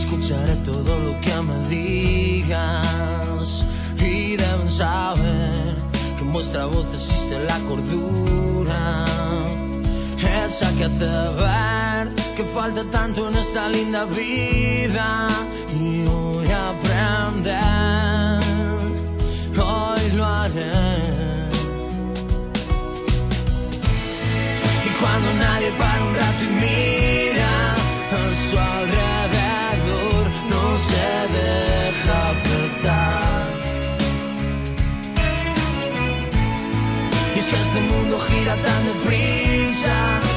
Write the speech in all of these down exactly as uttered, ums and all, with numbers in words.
escucharé todo lo que me digas. Y deben saber que en vuestra voz existe la cordura, esa que hace ver que falta tanto en esta linda vida. Y voy a aprender, hoy lo haré. Y cuando nadie para un rato y mira a su alrededor, no se deja afectar. Y es que este mundo gira tan deprisa,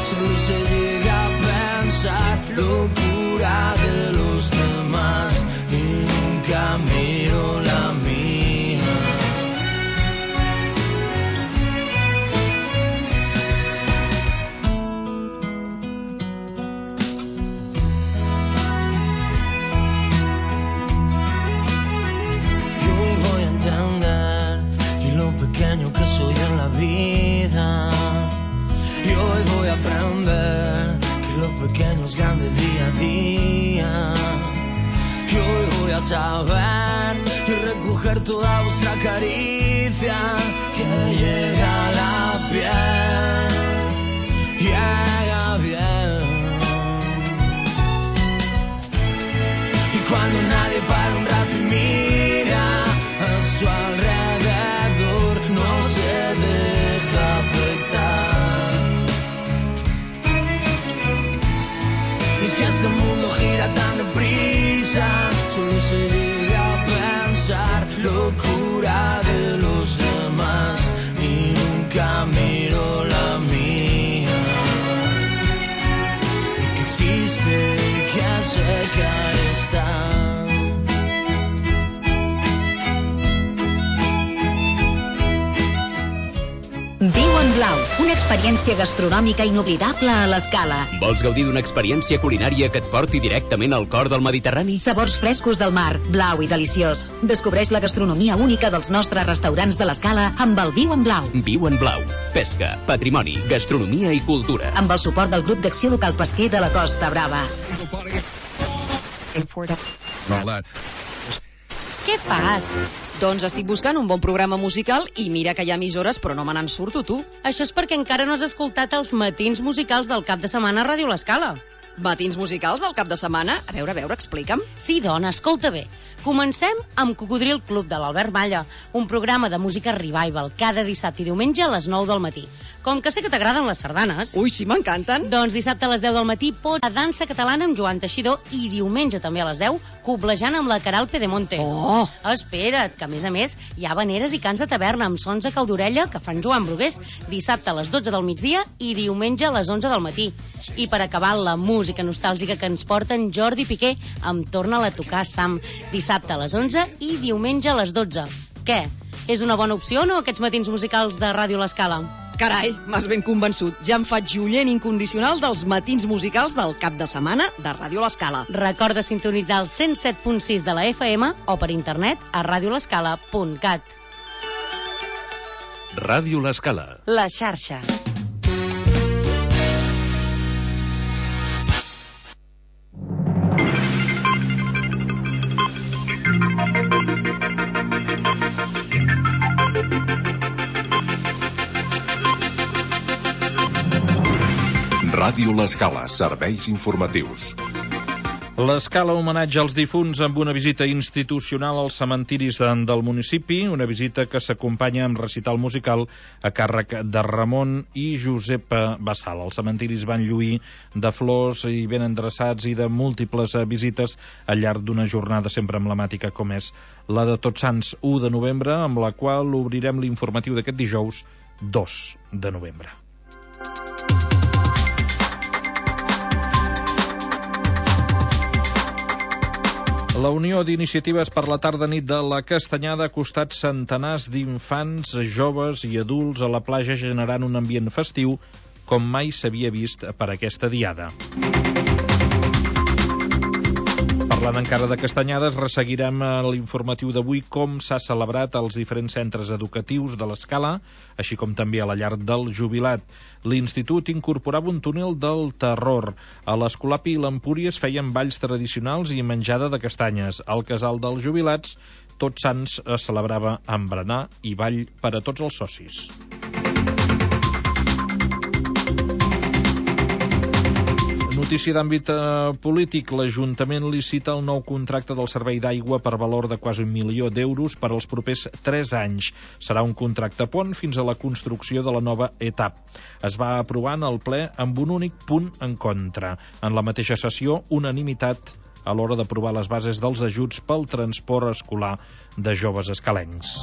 solo se llega a pensar locura de los demás y nunca miro la mía. Yo hoy voy a entender y lo pequeño que soy en la vida. Y hoy voy a aprender que lo pequeño es grande día a día. Y hoy voy a saber y recoger toda vuestra caricia que llega a la piel, llega bien. Y cuando nadie para un rato y mira a su alrededor, no se deja afectar. Es que este mundo gira tan deprisa, solo se llega a pensar locura de los demás y nunca miro la mía. Y que existe y que cerca está. Viu en Blau, una experiència gastronòmica inoblidable a l'Escala. Vols gaudir d'una experiència culinària que et porti directament al cor del Mediterrani? Sabors frescos del mar, blau i deliciós. Descobreix la gastronomia única dels nostres restaurants de l'Escala amb el Viu en Blau. Viu en Blau. Pesca, patrimoni, gastronomia i cultura. Amb el suport del grup d'acció local pesquer de la Costa Brava. Què fas? Doncs estic buscant un bon programa musical i mira que hi ha emissores, però no me n'en surto, tu. Això és perquè encara no has escoltat els matins musicals del cap de setmana a Ràdio L'Escala. Matins musicals del cap de setmana? A veure, a veure, explica'm. Sí, dona, escolta bé. Comencem amb Cocodril Club de l'Albert Malla, un programa de música revival cada dissabte i diumenge a les nou del matí. Com que sé que t'agraden les sardanes... Ui, sí, m'encanten. Doncs dissabte a les deu del matí pot a dansa catalana amb Joan Teixidor i diumenge també a les deu coblejant amb la Caral Pedemonte. Oh! Espera't, que a més a més hi ha habaneres i cants de taverna amb sons a Caldorella que fan Joan Brugués dissabte a les dotze del migdia i diumenge a les onze del matí. I per acabar la música nostàlgica que ens porten Jordi Piqué amb Torna-la a tocar Sam, dissabte a les onze i diumenge a les dotze. Què? És una bona opció o no, aquests matins musicals de Ràdio L'Escala? Carai, m'has ben convençut. Ja em faig joient incondicional dels matins musicals del cap de setmana de Ràdio L'Escala. Recorda sintonitzar el cent set punt sis de la F M o per internet a radio l'escala punt cat. Ràdio L'Escala. La xarxa. Ràdio L'Escala, serveis informatius. L'Escala homenatge als difunts amb una visita institucional als cementiris del municipi, una visita que s'acompanya amb recital musical a càrrec de Ramon i Josep Bassal. Els cementiris van lluir de flors i ben endreçats i de múltiples visites al llarg d'una jornada sempre emblemàtica com és la de Tots Sants u de novembre, amb la qual obrirem l'informatiu d'aquest dijous dos de novembre. La Unió d'Iniciatives per la Tarda-Nit de la Castanyada ha acostat centenars d'infants, joves i adults a la platja generant un ambient festiu com mai s'havia vist per aquesta diada. Per Parlant encara de castanyades, resseguirem a l'informatiu d'avui com s'ha celebrat als diferents centres educatius de l'Escala, així com també a la llar del jubilat. L'institut incorporava un túnel del terror. A l'Escolapi i l'Empúries feien balls tradicionals i menjada de castanyes. Al casal dels jubilats, Tots Sants es celebrava amb berenar i ball per a tots els socis. Notícia d'àmbit eh, polític. L'Ajuntament licita el nou contracte del servei d'aigua per valor de quasi un milió d'euros per als propers tres anys. Serà un contracte pont fins a la construcció de la nova etapa. Es va aprovar en el ple amb un únic punt en contra. En la mateixa sessió, unanimitat a l'hora d'aprovar les bases dels ajuts pel transport escolar de joves escalencs.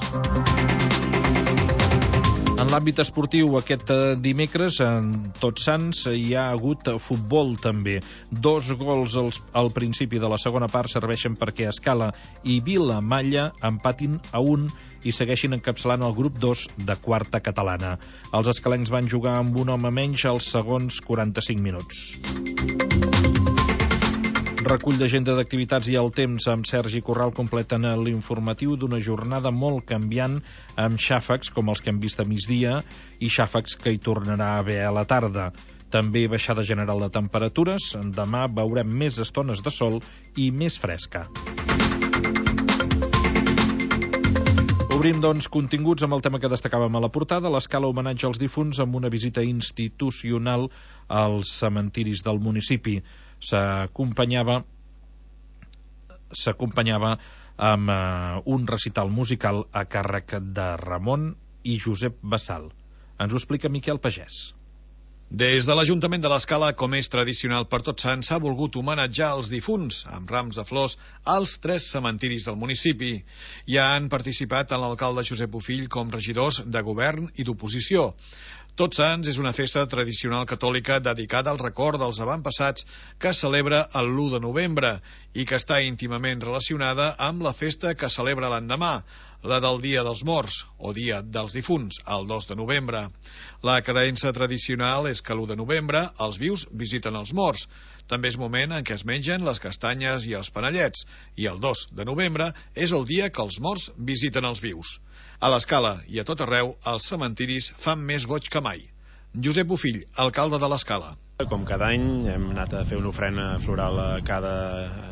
En l'àmbit esportiu, aquest dimecres, en Tots Sants, hi ha hagut futbol també. Dos gols als, al principi de la segona part serveixen perquè Escala i Vilamalla empatin a un i segueixin encapçalant el grup dos de quarta catalana. Els escalencs van jugar amb un home menys als segons quaranta-cinc minuts. Recull d'agenda d'activitats i el temps amb Sergi Corral completen l'informatiu d'una jornada molt canviant amb xàfecs com els que hem vist a migdia i xàfecs que hi tornarà a haver a la tarda. També baixada general de temperatures. Demà veurem més estones de sol i més fresca. Obrim, doncs, continguts amb el tema que destacàvem a la portada, l'Escala homenatge als difunts amb una visita institucional als cementiris del municipi. S'acompanyava s'acompanyava amb eh, un recital musical a càrrec de Ramon i Josep Bassal. Ens ho explica Miquel Pagès. Des de l'Ajuntament de l'Escala, com és tradicional per Tots Sants, s'ha volgut homenatjar els difunts amb rams de flors als tres cementiris del municipi. Hi han participat tant l'alcalde Josep Bofill com regidors de govern i d'oposició. Tots Sants és una festa tradicional catòlica dedicada al record dels avantpassats que es celebra el l'u de novembre i que està íntimament relacionada amb la festa que celebra l'endemà, la del Dia dels Morts, o Dia dels Difunts, el dos de novembre. La creença tradicional és que l'u de novembre els vius visiten els morts. També és moment en què es mengen les castanyes i els panellets, i el dos de novembre és el dia que els morts visiten els vius. A l'Escala i a tot arreu, els cementiris fan més goig que mai. Josep Bofill, alcalde de l'Escala. Com cada any hem anat a fer una ofrena floral a cada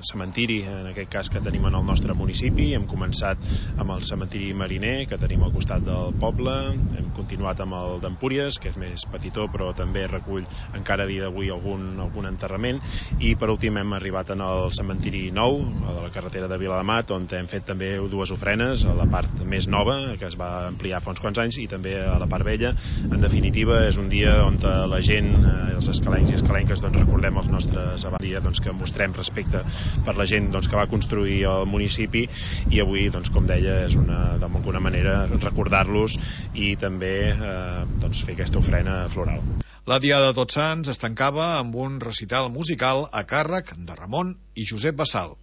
cementiri, en aquest cas que tenim en el nostre municipi. Hem començat amb el cementiri Mariner, que tenim al costat del poble. Hem continuat amb el d'Empúries, que és més petitó, però també recull encara a dia d'avui algun, algun enterrament. I per últim hem arribat en el cementiri nou, a la carretera de Viladamat, on hem fet també dues ofrenes, a la part més nova, que es va ampliar fa uns quants anys, i també a la part vella. En definitiva, és un dia on la gent, els escalats i escalenques, doncs, recordem els nostres abans, doncs, que mostrem respecte per la gent, doncs, que va construir el municipi, i avui, doncs, com deia, és una, d'alguna manera recordar-los i també eh, doncs, fer aquesta ofrena floral. La Diada de Tots Sants es tancava amb un recital musical a càrrec de Ramon i Josep Bassal.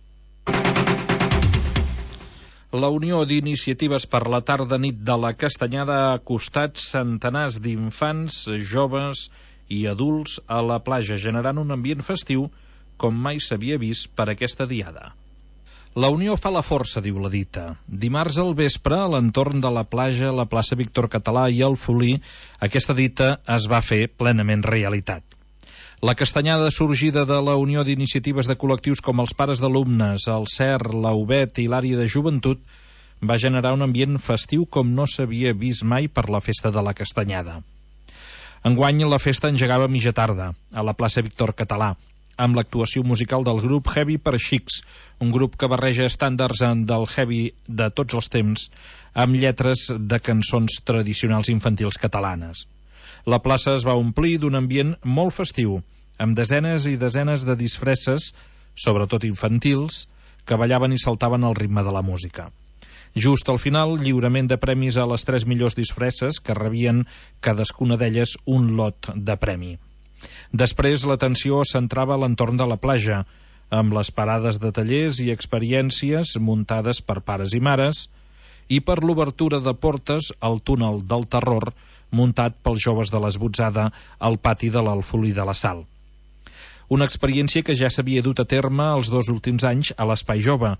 La Unió d'Iniciatives per la Tarda-Nit de la Castanyada ha acostat centenars d'infants, joves i adults a la platja, generant un ambient festiu com mai s'havia vist per aquesta diada. La Unió fa la força, diu la dita. Dimarts al vespre, a l'entorn de la platja, la plaça Víctor Català i el Folí, aquesta dita es va fer plenament realitat. La castanyada sorgida de la Unió d'Iniciatives de col·lectius com els pares d'alumnes, el C E R, la U B E T i l'àrea de joventut va generar un ambient festiu com no s'havia vist mai per la festa de la castanyada. Enguany la festa engegava a mitja tarda, a la plaça Víctor Català, amb l'actuació musical del grup Heavy per Xics, un grup que barreja estàndards del heavy de tots els temps amb lletres de cançons tradicionals infantils catalanes. La plaça es va omplir d'un ambient molt festiu, amb desenes i desenes de disfresses, sobretot infantils, que ballaven i saltaven al ritme de la música. Just al final, lliurament de premis a les tres millors disfresses, que rebien cadascuna d'elles un lot de premi. Després, l'atenció es centrava a l'entorn de la platja, amb les parades de tallers i experiències muntades per pares i mares, i per l'obertura de portes al túnel del terror, muntat pels joves de l'Esbotzada al pati de l'Alfolí de la Sal. Una experiència que ja s'havia dut a terme els dos últims anys a l'Espai Jove,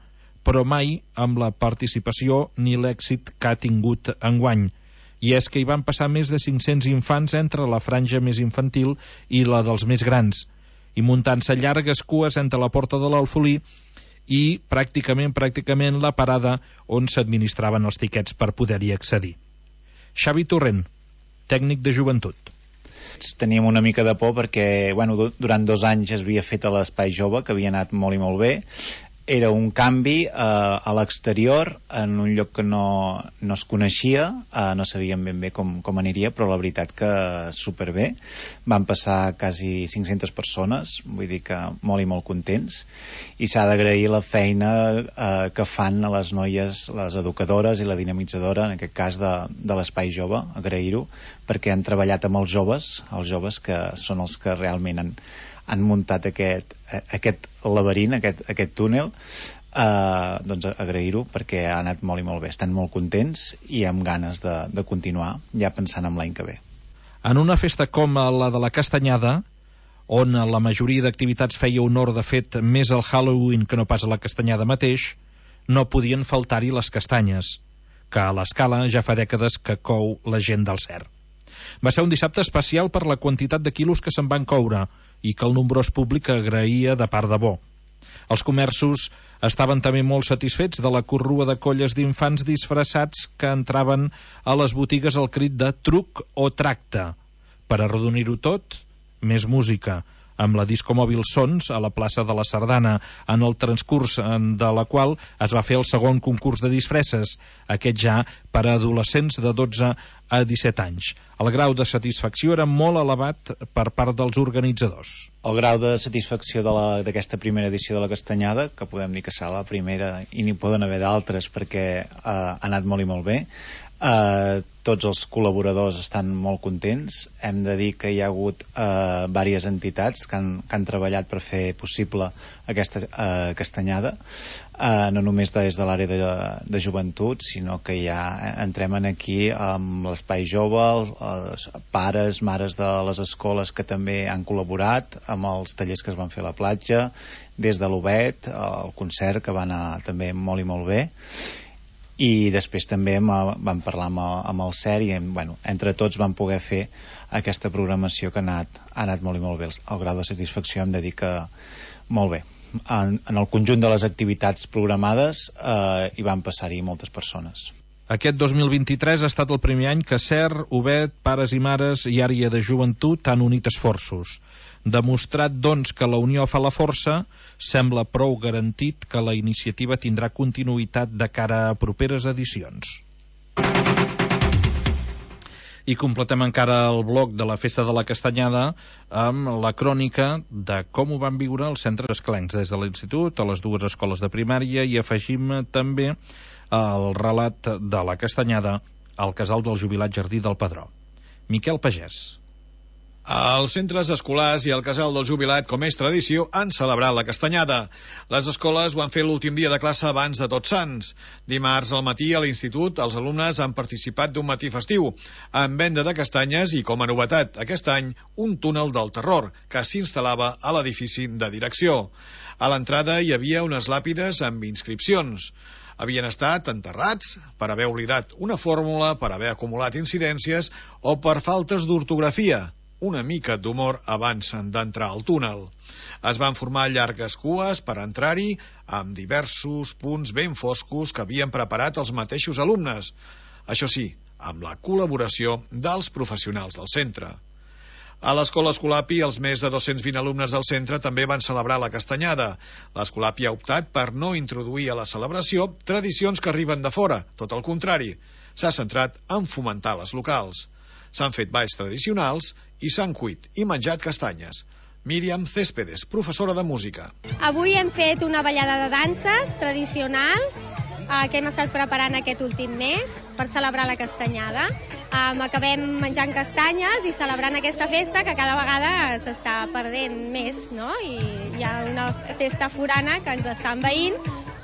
però mai amb la participació ni l'èxit que ha tingut enguany. I és que hi van passar més de cinc-cents infants entre la franja més infantil i la dels més grans, i muntant-se llargues cues entre la porta de l'Alfolí i pràcticament, pràcticament la parada on s'administraven els tiquets per poder-hi accedir. Xavi Torrent, tècnic de joventut. Teníem una mica de por perquè bueno, durant dos anys es havia fet a l'Espai Jove, que havia anat molt i molt bé. Era un canvi eh, a l'exterior, en un lloc que no, no es coneixia, eh, no sabíem ben bé com, com aniria, però la veritat que superbé. Van passar quasi cinc-centes persones, vull dir que molt i molt contents, i s'ha d'agrair la feina eh, que fan a les noies, les educadores i la dinamitzadora, en aquest cas de, de l'Espai Jove, agrair-ho, perquè han treballat amb els joves, els joves que són els que realment han han muntat aquest, aquest laberint, aquest, aquest túnel, eh, doncs agrair-ho perquè ha anat molt i molt bé. Estan molt contents i amb ganes de, de continuar, ja pensant en l'any que ve. En una festa com la de la Castanyada, on la majoria d'activitats feia honor, de fet, més al Halloween que no pas a la Castanyada mateix, no podien faltar-hi les castanyes, que a l'Escala ja fa dècades que cou la gent del Cer. Va ser un dissabte especial per la quantitat de quilos que se'n van coure i que el nombrós públic agraïa de part de bo. Els comerços estaven també molt satisfets de la corrua de colles d'infants disfressats que entraven a les botigues al crit de truc o tracte. Per arrodonir-ho tot, més música, amb la discomòbil Sons a la plaça de la Sardana, en el transcurs de la qual es va fer el segon concurs de disfresses, aquest ja per a adolescents de dotze a disset anys. El grau de satisfacció era molt elevat per part dels organitzadors. El grau de satisfacció d'aquesta primera edició de la Castanyada, que podem dir que serà la primera i n'hi poden haver d'altres perquè eh, ha anat molt i molt bé, Uh, tots els col·laboradors estan molt contents. Hem de dir que hi ha hagut uh, diverses entitats que han, que han treballat per fer possible aquesta uh, castanyada, uh, no només des de l'àrea de, de joventut, sinó que ja entrem aquí amb l'Espai Jove, els pares, mares de les escoles que també han col·laborat, amb els tallers que es van fer a la platja, des de l'Obet, el concert que va anar també molt i molt bé. I després també vam parlar amb el, amb el C E R i bueno, entre tots vam poder fer aquesta programació que ha anat, ha anat molt i molt bé. El, el grau de satisfacció hem de dir que molt bé. En, en el conjunt de les activitats programades eh, hi van passar-hi moltes persones. Aquest dos mil vint-i-tres ha estat el primer any que C E R, Obet, pares i mares i àrea de joventut han unit esforços. Demostrat, doncs, que la unió fa la força, sembla prou garantit que la iniciativa tindrà continuïtat de cara a properes edicions. I completem encara el bloc de la Festa de la Castanyada amb la crònica de com ho van viure els centres escalencs, des de l'institut a les dues escoles de primària, i afegim també el relat de la Castanyada al casal del jubilat Jardí del Pedró. Miquel Pagès. Els centres escolars i el casal del jubilat, com és tradició, han celebrat la Castanyada. Les escoles ho han fet l'últim dia de classe abans de Tots Sants. Dimarts al matí a l'institut els alumnes han participat d'un matí festiu, amb venda de castanyes i, com a novetat, aquest any, un túnel del terror, que s'instal·lava a l'edifici de direcció. A l'entrada hi havia unes làpides amb inscripcions. Havien estat enterrats per haver oblidat una fórmula, per haver acumulat incidències o per faltes d'ortografia. Una mica d'humor abans d'entrar al túnel. Es van formar llargues cues per entrar-hi amb diversos punts ben foscos que havien preparat els mateixos alumnes. Això sí, amb la col·laboració dels professionals del centre. A l'Escola Escolapi, els més de dos-cents vint alumnes del centre també van celebrar la Castanyada. L'Escolapi ha optat per no introduir a la celebració tradicions que arriben de fora. Tot el contrari, s'ha centrat en fomentar les locals. S'han fet balls tradicionals i s'han cuit i menjat castanyes. Míriam Céspedes, professora de música. Avui hem fet una ballada de danses tradicionals eh, que hem estat preparant aquest últim mes per celebrar la Castanyada. Um, acabem menjant castanyes i celebrant aquesta festa que cada vegada s'està perdent més, no? I hi ha una festa forana que ens està envaint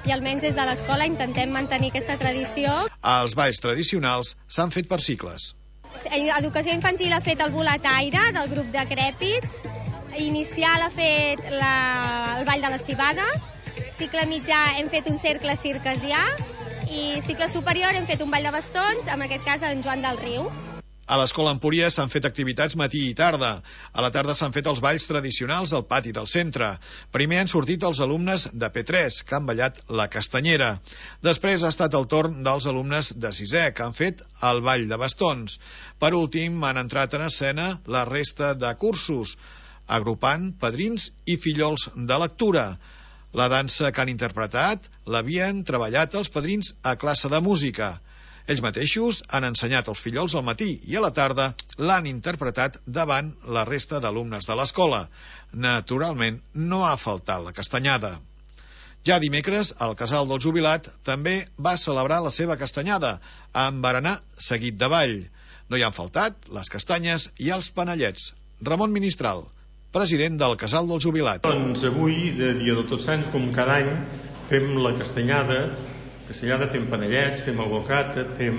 i almenys des de l'escola intentem mantenir aquesta tradició. Els balls tradicionals s'han fet per cicles. Educació infantil ha fet el boletaire del grup de Crèpits inicial ha fet la, el ball de la cibada, cicle mitjà hem fet un cercle circasià i cicle superior hem fet un ball de bastons, en aquest cas en Joan del Riu. A l'Escola Empúries s'han fet activitats matí i tarda. A la tarda s'han fet els balls tradicionals al pati del centre. Primer han sortit els alumnes de P tres, que han ballat la castanyera. Després ha estat el torn dels alumnes de sisè, que han fet el ball de bastons. Per últim, han entrat en escena la resta de cursos, agrupant padrins i fillols de lectura. La dansa que han interpretat l'havien treballat els padrins a classe de música. Ells mateixos han ensenyat als fillols al matí i a la tarda l'han interpretat davant la resta d'alumnes de l'escola. Naturalment, no ha faltat la castanyada. Ja dimecres, el casal del jubilat també va celebrar la seva castanyada, amb berenar seguit de ball. No hi han faltat les castanyes i els panellets. Ramon Ministral, president del casal del jubilat. Doncs avui, de dia de Tots Sants, com cada any, fem la castanyada, castanyada, fem panellets, fem el bocata, fem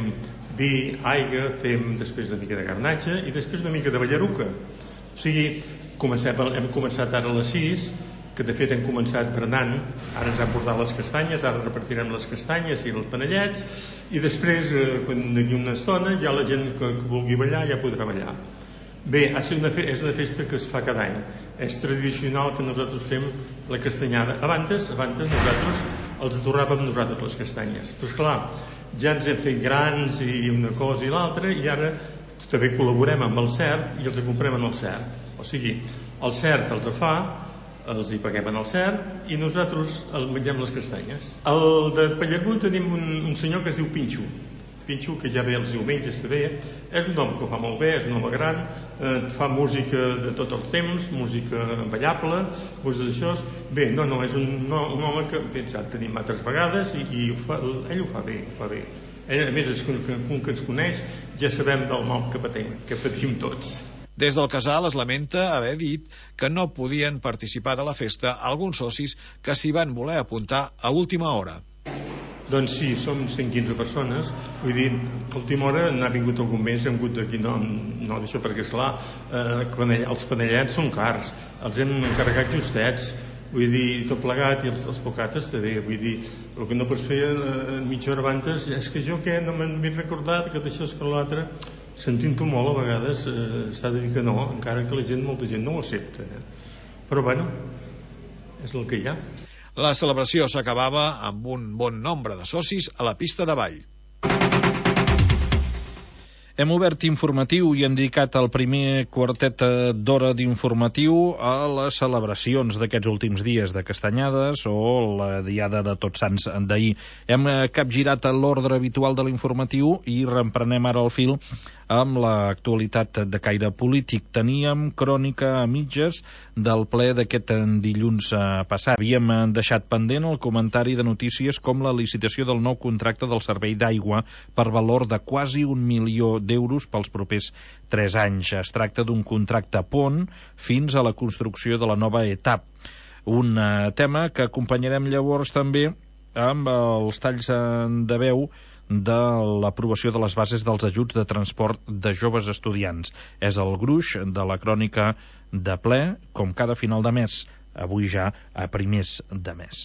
vi, aigua, fem després una mica de garnatge i després una mica de ballaruca. O sigui, comencem, hem començat ara a les sis, que de fet hem començat berenant, ara ens han portat les castanyes, ara repartirem les castanyes i els panellets, i després, quan d'aquí una estona, ja la gent que, que vulgui ballar ja podrà ballar. Bé, és una, és una festa que es fa cada any. És tradicional que nosaltres fem la castanyada. Abans, abans nosaltres els atorràvem nosaltres les castanyes. Però esclar, ja ens hem fet grans i una cosa i l'altra, i ara també col·laborem amb el C E R i els comprem en el C E R. O sigui, el C E R els fa, els hi paguem en el C E R i nosaltres el mengem les castanyes. El de Pallargú tenim un, un senyor que es diu Pinxo. Pinxo, que ja ve els diumenges també, és un home que fa molt bé, és un home gran, eh, fa música de tots els temps, música ballable, música d'això. Bé, no, no, és un, no, un home que ja el tenim altres vegades i, i ho fa, ell ho fa bé, ho fa bé. Ell, a més, és que, que, que ens coneix, ja sabem del mal que patim, que patim tots. Des del casal es lamenta haver dit que no podien participar de la festa alguns socis que s'hi van voler apuntar a última hora. Doncs sí, som cent quinze persones, vull dir, a última hora n'ha vingut algun mes, hem hagut d'aquí, no, no d'això perquè esclar, eh, els panellets són cars, els hem encarregat justets, vull dir, tot plegat, i els, els pocates també, vull dir, el que no pots fer eh, mitja hora abans, és que jo què, no m'he recordat que d'això és que l'altre, sentint-ho molt a vegades, eh, s'ha de dir que no, encara que la gent, molta gent no ho accepta, eh? Però bueno, és el que hi ha. La celebració s'acabava amb un bon nombre de socis a la pista de ball. Hem obert informatiu i hem dedicat el primer quartet d'hora d'informatiu a les celebracions d'aquests últims dies de Castanyades o la diada de Tots Sants d'ahir. Hem capgirat l'ordre habitual de l'informatiu i reemprenem ara el fil amb l'actualitat de caire polític. Teníem crònica a mitges del ple d'aquest dilluns passat. Havíem deixat pendent el comentari de notícies com la licitació del nou contracte del servei d'aigua per valor de quasi un milió d'euros pels propers tres anys. Es tracta d'un contracte pont fins a la construcció de la nova etapa. Un tema que acompanyarem llavors també amb els talls de veu de l'aprovació de les bases dels ajuts de transport de joves estudiants. És el gruix de la crònica de ple, com cada final de mes, avui ja a primers de mes.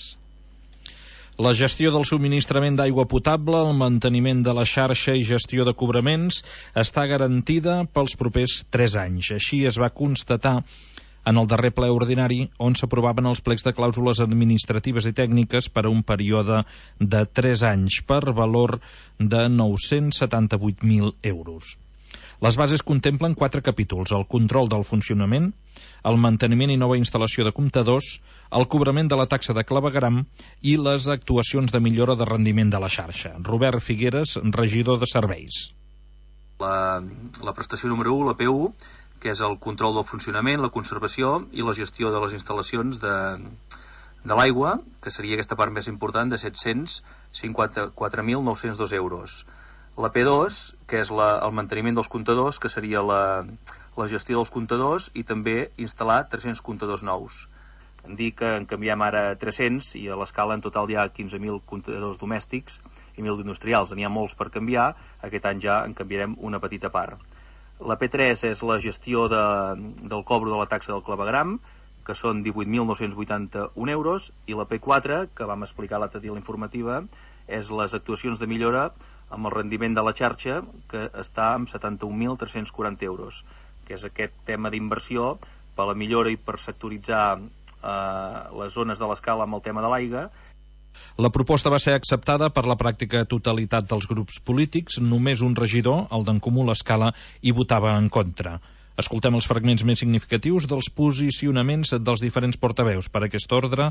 La gestió del subministrament d'aigua potable, el manteniment de la xarxa i gestió de cobraments està garantida pels propers tres anys. Així es va constatar en el darrer ple ordinari, on s'aprovaven els plecs de clàusules administratives i tècniques per a un període de tres anys per valor de nou-cents setanta-vuit mil euros. Les bases contemplen quatre capítols: el control del funcionament, el manteniment i nova instal·lació de comptadors, el cobrament de la taxa de clavegueram i les actuacions de millora de rendiment de la xarxa. Robert Figueres, regidor de serveis. La, la prestació número u, la P u, que és el control del funcionament, la conservació i la gestió de les instal·lacions de, de l'aigua, que seria aquesta part més important, de set-cents cinquanta-quatre mil nou-cents dos euros. La P dos, que és la, el manteniment dels comptadors, que seria la, la gestió dels comptadors i també instal·lar tres-cents comptadors nous. Em dic que en canviem ara tres-cents i a l'escala en total hi ha quinze mil comptadors domèstics i mil industrials. N'hi ha molts per canviar, aquest any ja en canviarem una petita part. La P tres és la gestió de, del cobro de la taxa del clavegram, que són divuit mil nou-cents vuitanta-un euros, i la P quatre, que vam explicar l'altre dia a la informativa, és les actuacions de millora amb el rendiment de la xarxa, que està amb setanta-un mil tres-cents quaranta euros, que és aquest tema d'inversió per la millora i per sectoritzar eh, les zones de l'escala amb el tema de l'aigua. La proposta va ser acceptada per la pràctica totalitat dels grups polítics. Només un regidor, el d'en Comú l'Escala, hi votava en contra. Escoltem els fragments més significatius dels posicionaments dels diferents portaveus. Per aquest ordre,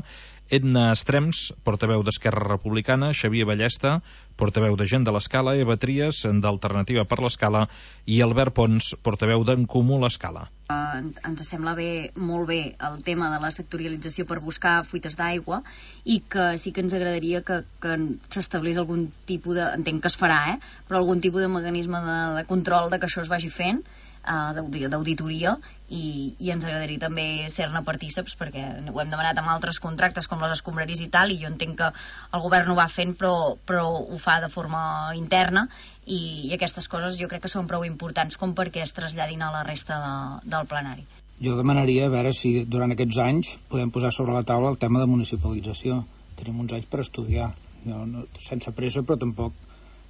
Edna Estrems, portaveu d'Esquerra Republicana, Xavier Ballesta, portaveu de Gent de l'Escala, Eva Trias, d'Alternativa per l'Escala, i Albert Pons, portaveu d'en Comú l'Escala. Uh, ens sembla bé, molt bé el tema de la sectorialització per buscar fuites d'aigua, i que sí que ens agradaria que, que s'establís algun tipus de, entenc que es farà, eh? però algun tipus de mecanisme de, de control de que això es vagi fent, uh, d'auditoria, i, i ens agradaria també ser-ne partíceps, perquè ho hem demanat amb altres contractes com les escombraries i tal, i jo entenc que el govern ho va fent, però, però ho fa de forma interna, i, i aquestes coses jo crec que són prou importants com perquè es traslladin a la resta de, del plenari. Jo demanaria a veure si durant aquests anys podem posar sobre la taula el tema de municipalització. Tenim uns anys per estudiar, jo, no, sense pressa, però tampoc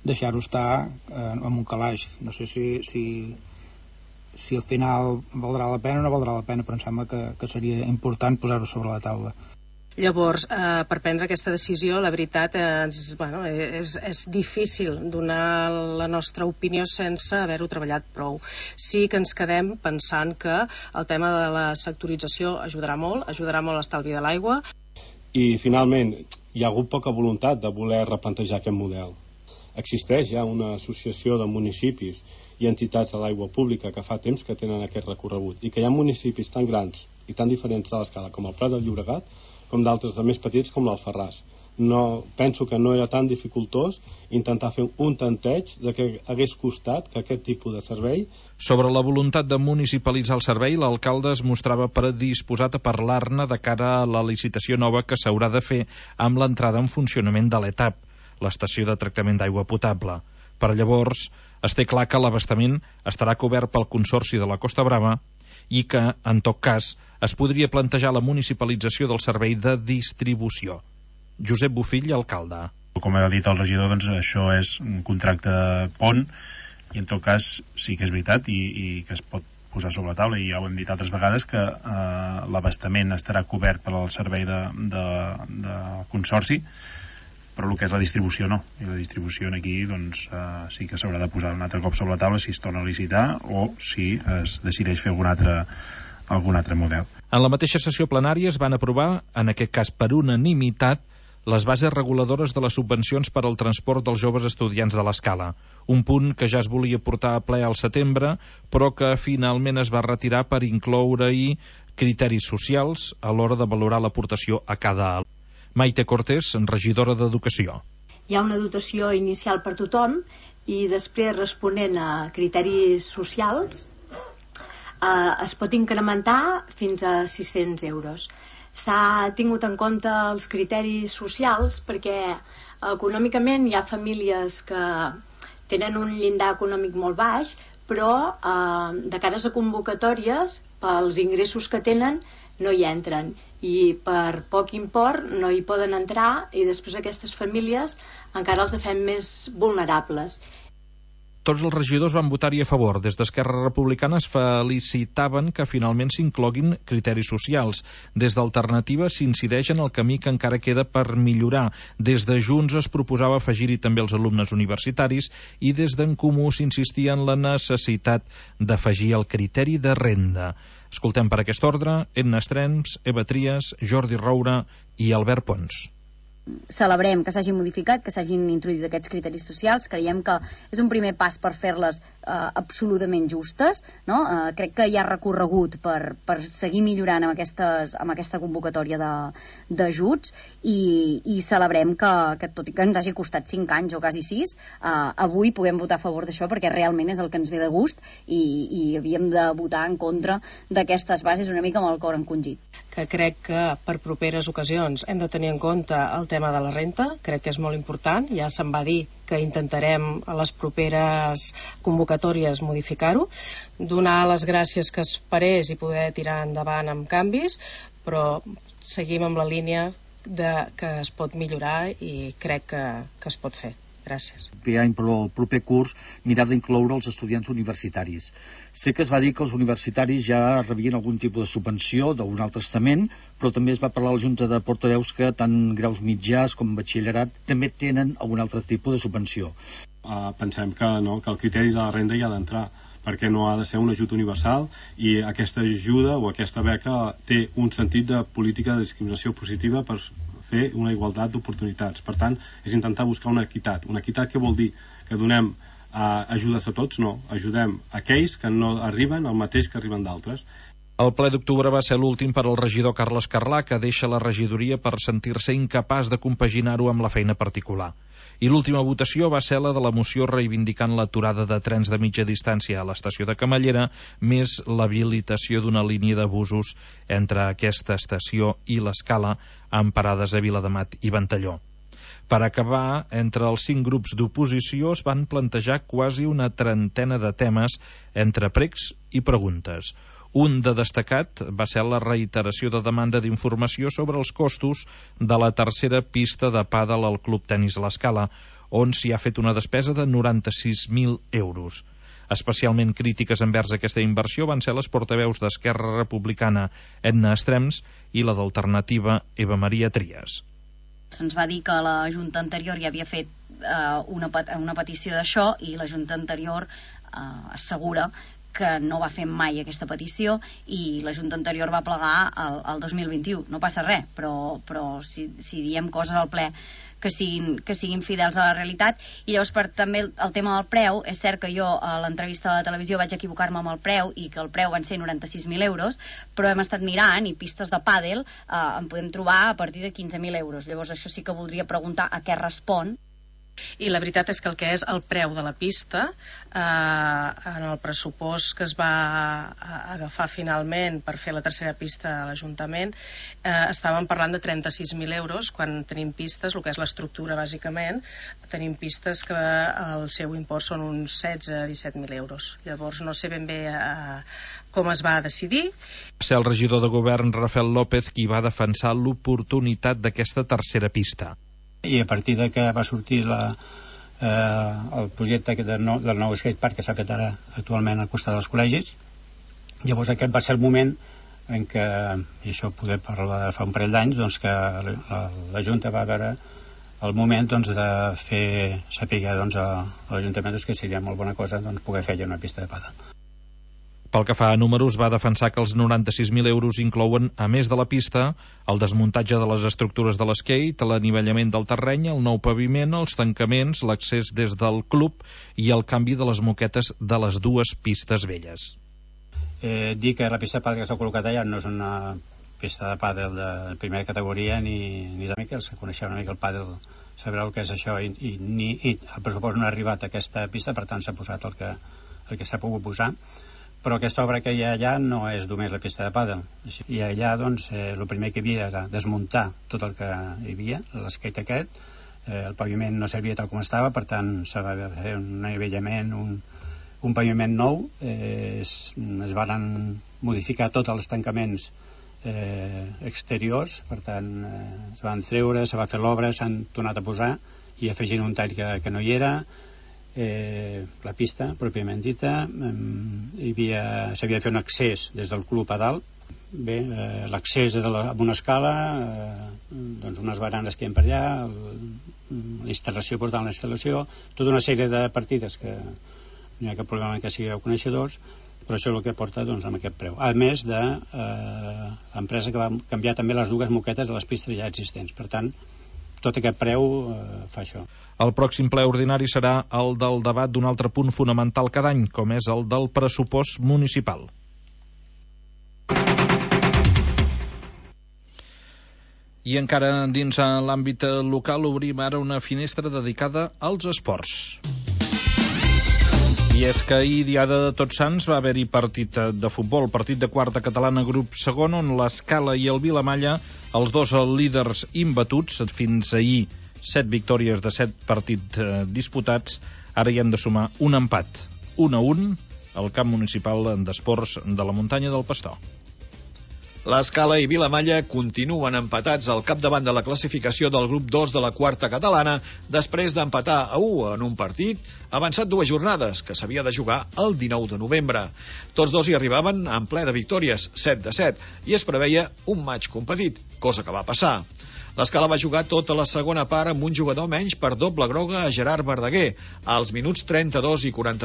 deixar-ho estar eh, en un calaix. No sé si, si, si al final valdrà la pena o no valdrà la pena, però em sembla que, que seria important posar-ho sobre la taula. Llavors, eh, per prendre aquesta decisió, la veritat, eh, és, bueno, és, és difícil donar la nostra opinió sense haver-ho treballat prou. Sí que ens quedem pensant que el tema de la sectorització ajudarà molt, ajudarà molt a l'estalvi de l'aigua. I, finalment, hi ha hagut poca voluntat de voler replantejar aquest model. Existeix ja una associació de municipis i entitats de l'aigua pública que fa temps que tenen aquest recorregut, i que hi ha municipis tan grans i tan diferents de l'escala com el Prat del Llobregat, com d'altres de més petits com l'Alfarràs. No, penso que no era tan dificultós intentar fer un tanteig de que hagués costat que aquest tipus de servei... Sobre la voluntat de municipalitzar el servei, l'alcalde es mostrava predisposat a parlar-ne de cara a la licitació nova que s'haurà de fer amb l'entrada en funcionament de l'E T A P, l'estació de tractament d'aigua potable. Per llavors, es té clar que l'abastament estarà cobert pel Consorci de la Costa Brava i que, en tot cas, es podria plantejar la municipalització del servei de distribució. Josep Bofill, alcalde. Com ha dit el regidor, doncs això és un contracte pont, i en tot cas sí que és veritat i, i que es pot posar sobre la taula, i ja ho hem dit altres vegades, que eh, l'abastament estarà cobert per al servei de, de, de consorci, però el que és la distribució no, i la distribució aquí doncs, eh, sí que s'haurà de posar un altre cop sobre la taula si es torna a licitar o si es decideix fer algun altre, algun altre model. En la mateixa sessió plenària es van aprovar, en aquest cas per unanimitat, les bases reguladores de les subvencions per al transport dels joves estudiants de l'Escala, un punt que ja es volia portar a ple al setembre, però que finalment es va retirar per incloure-hi criteris socials a l'hora de valorar l'aportació a cada alumne. Maite Cortés, regidora d'Educació. Hi ha una dotació inicial per tothom i després, responent a criteris socials, eh, es pot incrementar fins a sis-cents euros. S'ha tingut en compte els criteris socials perquè econòmicament hi ha famílies que tenen un llindar econòmic molt baix, però eh, de cares a convocatòries, pels ingressos que tenen, no hi entren, i per poc import no hi poden entrar, i després aquestes famílies encara els fem més vulnerables. Tots els regidors van votar-hi a favor. Des d'Esquerra Republicana es felicitaven que finalment s'incloguin criteris socials. Des d'Alternativa s'incideix en el camí que encara queda per millorar. Des de Junts es proposava afegir-hi també els alumnes universitaris, i des d'en Comú s'insistia en la necessitat d'afegir el criteri de renda. Escoltem per aquest ordre Edna Estrems, Eva Trias, Jordi Roura i Albert Pons. Celebrem que s'hagin modificat, que s'hagin introduït aquests criteris socials. Creiem que és un primer pas per fer-les eh, absolutament justes, no? Eh, crec que hi ha recorregut per, per seguir millorant amb, aquestes, amb aquesta convocatòria d'ajuts, i, i celebrem que, que tot i que ens hagi costat cinc anys o quasi sis, eh, avui puguem votar a favor d'això, perquè realment és el que ens ve de gust, i, i havíem de votar en contra d'aquestes bases una mica amb el cor encongit. que crec que per properes ocasions hem de tenir en compte el tema de la renta, crec que és molt important, ja se'n va dir que intentarem a les properes convocatòries modificar-ho, donar les gràcies que es parés i poder tirar endavant amb canvis, però seguim amb la línia de que es pot millorar i crec que, que es pot fer. Gràcies. Per any, però el proper curs, mirar d'incloure els estudiants universitaris. Sé que es va dir que els universitaris ja rebien algun tipus de subvenció d'un altre estament, però també es va parlar a la Junta de Portaveus que tant graus mitjans com batxillerat també tenen algun altre tipus de subvenció. Uh, pensem que, no, que el criteri de la renda hi ha d'entrar, perquè no ha de ser un ajut universal i aquesta ajuda o aquesta beca té un sentit de política de discriminació positiva per fer una igualtat d'oportunitats. Per tant, és intentar buscar una equitat. Una equitat que vol dir que donem eh, ajudes a tots? No, ajudem aquells que no arriben al mateix que arriben d'altres. El ple d'octubre va ser l'últim per al regidor Carles Carlà, que deixa la regidoria per sentir-se incapaç de compaginar-ho amb la feina particular. I l'última votació va ser la de la moció reivindicant l'aturada de trens de mitja distància a l'estació de Camallera, més l'habilitació d'una línia de busos entre aquesta estació i l'Escala, amb parades a Viladamat i Ventalló. Per acabar, entre els cinc grups d'oposició es van plantejar quasi una trentena de temes entre pregs i preguntes. Un de destacat va ser la reiteració de demanda d'informació sobre els costos de la tercera pista de pàdel al Club Tenis l'Escala, on s'hi ha fet una despesa de noranta-sis mil euros. Especialment crítiques envers aquesta inversió van ser les portaveus d'Esquerra Republicana Edna Estrems i la d'Alternativa Eva Maria Trias. Se'ns va dir que la Junta anterior ja havia fet eh, una, una petició d'això i la Junta anterior eh, assegura que no va fer mai aquesta petició i la Junta anterior va plegar el, el dos mil vint-i-u. No passa res, però, però si, si diem coses al ple que siguin, que siguin fidels a la realitat. I llavors, per també el, el tema del preu, és cert que jo a l'entrevista a la televisió vaig equivocar-me amb el preu i que el preu van ser noranta-sis mil euros, però hem estat mirant i pistes de pàdel eh, en podem trobar a partir de quinze mil euros. Llavors això sí que voldria preguntar a què respon. I la veritat és que el que és el preu de la pista eh, en el pressupost que es va agafar finalment per fer la tercera pista a l'Ajuntament eh, estàvem parlant de trenta-sis mil euros quan tenim pistes, el que és l'estructura bàsicament, tenim pistes que el seu import són uns setze a disset mil euros. Llavors no sé ben bé eh, com es va decidir. Va ser el regidor de govern Rafael López qui va defensar l'oportunitat d'aquesta tercera pista. I a partir de que va sortir la, eh, el projecte de no, del nou skatepark que s'ha fet ara actualment al costat dels col·legis, llavors aquest va ser el moment en què, i això poder parlar de fa un parell d'anys, doncs que la, la Junta va veure el moment doncs, de fer saber doncs, a, a l'Ajuntament doncs, que seria molt bona cosa doncs, poder fer una pista de pàdel. Pel que fa a números, va defensar que els noranta-sis mil euros inclouen, a més de la pista, el desmuntatge de les estructures de l'skate, l'anivellament del terreny, el nou paviment, els tancaments, l'accés des del club i el canvi de les moquetes de les dues pistes velles. Eh, dir que la pista de pàdel que està col·locada allà no és una pista de pàdel de primera categoria ni, ni de mica, els que coneixeu una mica el pàdel sabrà el que és això i, i, ni, i el pressupost no ha arribat a aquesta pista, per tant s'ha posat el que, el que s'ha pogut posar. Però aquesta obra que hi ha allà no és només la pista de pàdel. I allà, doncs, eh, el primer que hi havia era desmuntar tot el que hi havia, l'skate aquest, eh, el paviment no servia tal com estava, per tant, s'ha de fer un anivellament, un, un paviment nou, eh, es, es van modificar tots els tancaments eh, exteriors, per tant, eh, es van treure, se va fer l'obra, s'han tornat a posar i afegint un tall que, que no hi era. Eh, la pista pròpiament dita, eh, hi havia, s'havia de fer un accés des del club a dalt. Bé, eh, l'accés la, amb una escala, eh, doncs unes baranes que hi ha per allà, el, la instal·lació, portar una instal·lació, tota una sèrie de partides que no hi ha cap problema que sigueu coneixedors, però això és el que porta doncs, amb aquest preu. A més de eh, l'empresa que va canviar també les dues moquetes de les pistes ja existents. Per tant, tot aquest preu eh, fa això. El pròxim ple ordinari serà el del debat d'un altre punt fonamental cada any, com és el del pressupost municipal. I encara dins l'àmbit local obrim ara una finestra dedicada als esports. I és que ahir, diada de Tots Sants, va haver-hi partit de futbol, partit de quarta catalana grup segon, on l'Escala i el Vilamalla, els dos líders imbatuts, fins ahir set victòries de set partits eh, disputats, ara hi han de sumar un empat, un a un, al camp municipal d'esports de la muntanya del Pastor. L'Escala i Vilamalla continuen empatats al capdavant de la classificació del grup dos de la quarta catalana després d'empatar a u en un partit avançat dues jornades, que s'havia de jugar el dinou de novembre. Tots dos hi arribaven en ple de victòries, set de set, i es preveia un maig competit, cosa que va passar. L'Escala va jugar tota la segona part amb un jugador menys per doble groga a Gerard Verdaguer, als minuts trenta-dos i quaranta-tres